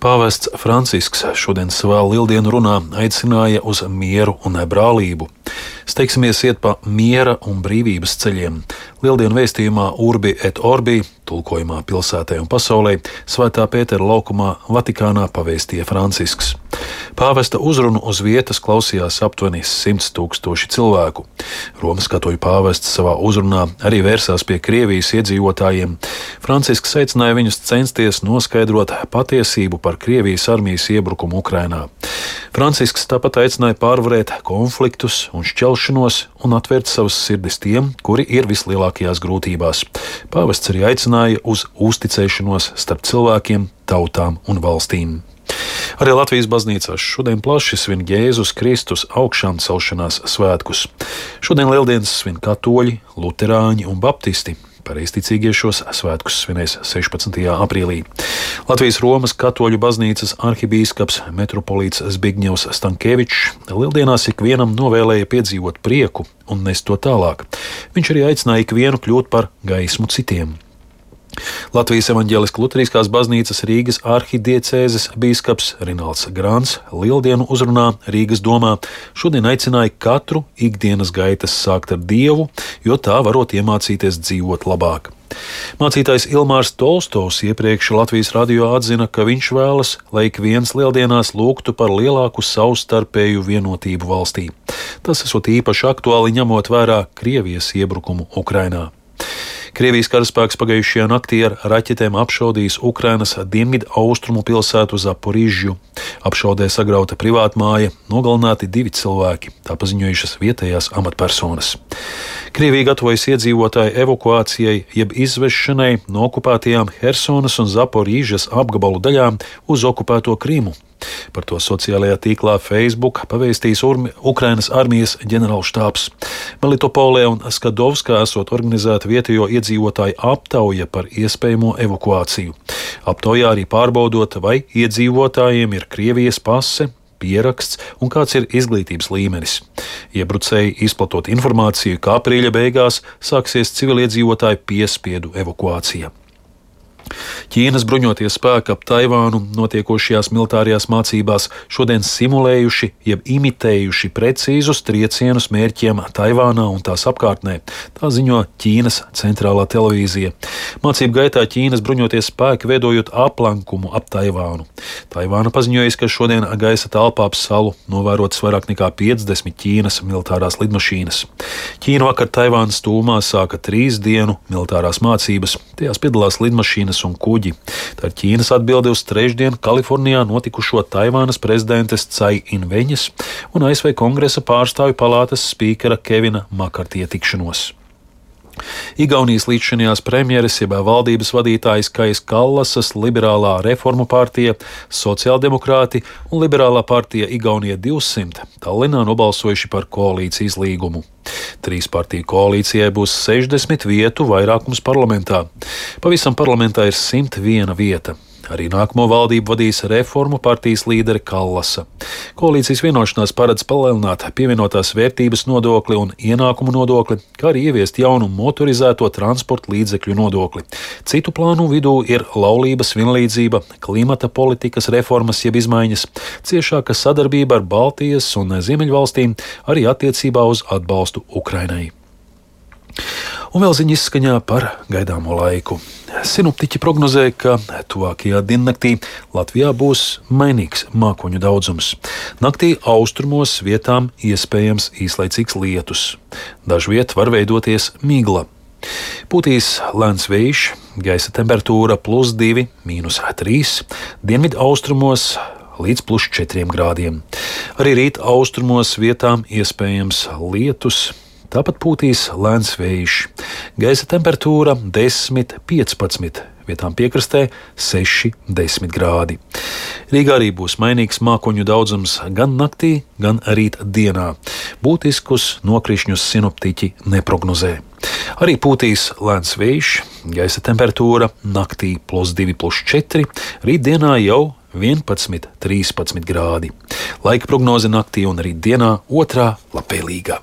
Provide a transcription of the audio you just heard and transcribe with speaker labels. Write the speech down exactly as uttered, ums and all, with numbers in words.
Speaker 1: Pāvests Francisks šodien savā lieldienu runā aicināja uz mieru un brālību. Steigsimies iet pa miera un brīvības ceļiem. Lieldienu vēstījumā Urbi et Orbi, tulkojumā pilsētai un pasaulē, Svētā Pētera laukumā Vatikānā pavēstīja Francisks. Pāvesta uzrunu uz vietas klausījās aptuveni simts tūkstoši cilvēku. Romas katoļu pāvests savā uzrunā arī vērsās pie Krievijas iedzīvotājiem. Francisks aicināja viņus censties noskaidrot patiesību par Krievijas armijas iebrukumu Ukrainā. Francisks tāpat aicināja pārvarēt konfliktus un šķelšanos un atvērt savas sirdis tiem, kuri ir vislielākajās grūtībās. Pāvests arī aicināja uz uzticēšanos starp cilvēkiem, tautām un valstīm. Arī Latvijas baznīcās šodien plaši svin Jēzus Kristus augšām celšanās svētkus. Šodien lieldienas svin katoļi, luterāņi un baptisti. Pareizticīgie šos svētkus svinēs sešpadsmitajā aprīlī. Latvijas Romas katoļu baznīcas arhibīskaps metropolīts Zbigņevs Stankēvičs lieldienās ikvienam novēlēja piedzīvot prieku un nest to tālāk. Viņš arī aicināja ikvienu kļūt par gaismu citiem. Latvijas evaņģēliskās luteriskās baznīcas Rīgas arhidiecēzes bīskaps Rinalds Grāns lieldienu uzrunā Rīgas domā šodien aicināja katru ikdienas gaitas sākt ar Dievu, jo tā varot iemācīties dzīvot labāk. Mācītājs Ilmārs Tolstovs iepriekš Latvijas radio atzina, ka viņš vēlas, lai ik viens lieldienās lūgtu par lielāku savstarpēju vienotību valstī. Tas esot īpaši aktuāli ņemot vērā Krievijas iebrukumu Ukrainā. Krievijas karaspēks pagājušajā naktī ar raķetēm apšaudījis Ukrainas dienvidu austrumu pilsētu Zaporižju. Apšaudē sagrauta privātmāja, nogalināti divi cilvēki, tā paziņojušas vietējās amatpersonas. Krievija gatavojas iedzīvotāju evakuācijai jeb izvešanai no okupētajām Hersonas un Zaporižas apgabalu daļām uz okupēto Krimu. Par to sociālajā tīklā Facebook pavēstījis Ukrainas armijas ģenerālštābs. Melitopolē un Skadovskā esot organizēta vietējo iedzīvotāju aptauja par iespējamo evakuāciju. Aptaujā arī pārbaudot, vai iedzīvotājiem ir Krievijas pase, pieraksts un kāds ir izglītības līmenis. Iebrucēji izplatot informāciju, ka aprīļa beigās sāksies civiliedzīvotāju piespiedu evakuācija. Ķīnas bruņotie spēki ap Taivānu notiekošajās militārajās mācībās šodien simulējuši, jeb imitējuši precīzus triecienus mērķiem Taivānā un tās apkārtnē, tā ziņo Ķīnas centrālā televīzija. Mācību gaitā Ķīnas bruņotie spēki veidojot aplankumu ap Taivānu. Taivāna paziņojas, ka šodien gaisa telpā ap salu novērotas vairāk nekā piecdesmit Ķīnas militārās lidmašīnas. Ķīna vakar Taivānas tūmā sāka trīs dienu militārās mācības, tajās piedalās lidmašīnas un kuģi. Tā ir Ķīnas atbilde uz trešdien Kalifornijā notikušo Taivānas prezidentes Cai Inveņas un A S V Kongresa pārstāvju palātas spīkera Kevina Makartija tikšanos. Igaunijas līdzšinējās premjeres, jeb valdības vadītājs Kais Kallasas liberālā reformu partija, sociāldemokrāti un liberālā partija Igaunija divsimt Tallinā nobalsojuši par koalīcijas līgumu. Trīs partiju koalīcijai būs sešdesmit vietu vairākums parlamentā. Pavisam parlamentā ir simt viena vieta. Arī nākamo valdību vadīs reformu partijas līdere Kallasa. Koalīcijas vienošanās paredz palielināt pievienotās vērtības nodokli un ienākumu nodokli, kā arī ieviest jaunu motorizēto transporta līdzekļu nodokli. Citu plānu vidū ir laulības vienlīdzība, klimata politikas reformas jeb izmaiņas, ciešāka sadarbība ar Baltijas un Ziemeļvalstīm, arī attiecībā uz atbalstu Ukrainai. Un vēl ziņa izskaņā par gaidāmo laiku. Sinoptiķi prognozē, ka tuvākajā diennaktī Latvijā būs mainīgs mākoņu daudzums. Naktī austrumos vietām iespējams īslaicīgs lietus. Dažviet var veidoties migla. Pūtīs lēns vējš, gaisa temperatūra plus divi, mīnus trīs, dienvidu austrumos līdz plus četriem grādiem. Arī rīt austrumos vietām iespējams lietus. Tāpat pūtīs lēns vējš. Gaisa temperatūra desmit, piecpadsmit, vietām piekrastē seši, desmit grādi. Rīgā arī būs mainīgs mākoņu daudzums gan naktī, gan rīt dienā. Būtiskus nokrišņus sinoptiķi neprognozē. Arī pūtīs lēns vējš, gaisa temperatūra naktī plus divi, plus četri, rīt dienā jau vienpadsmit, trīspadsmit grādi. Laika prognoze naktī un rīt dienā otrā labvēlīgā.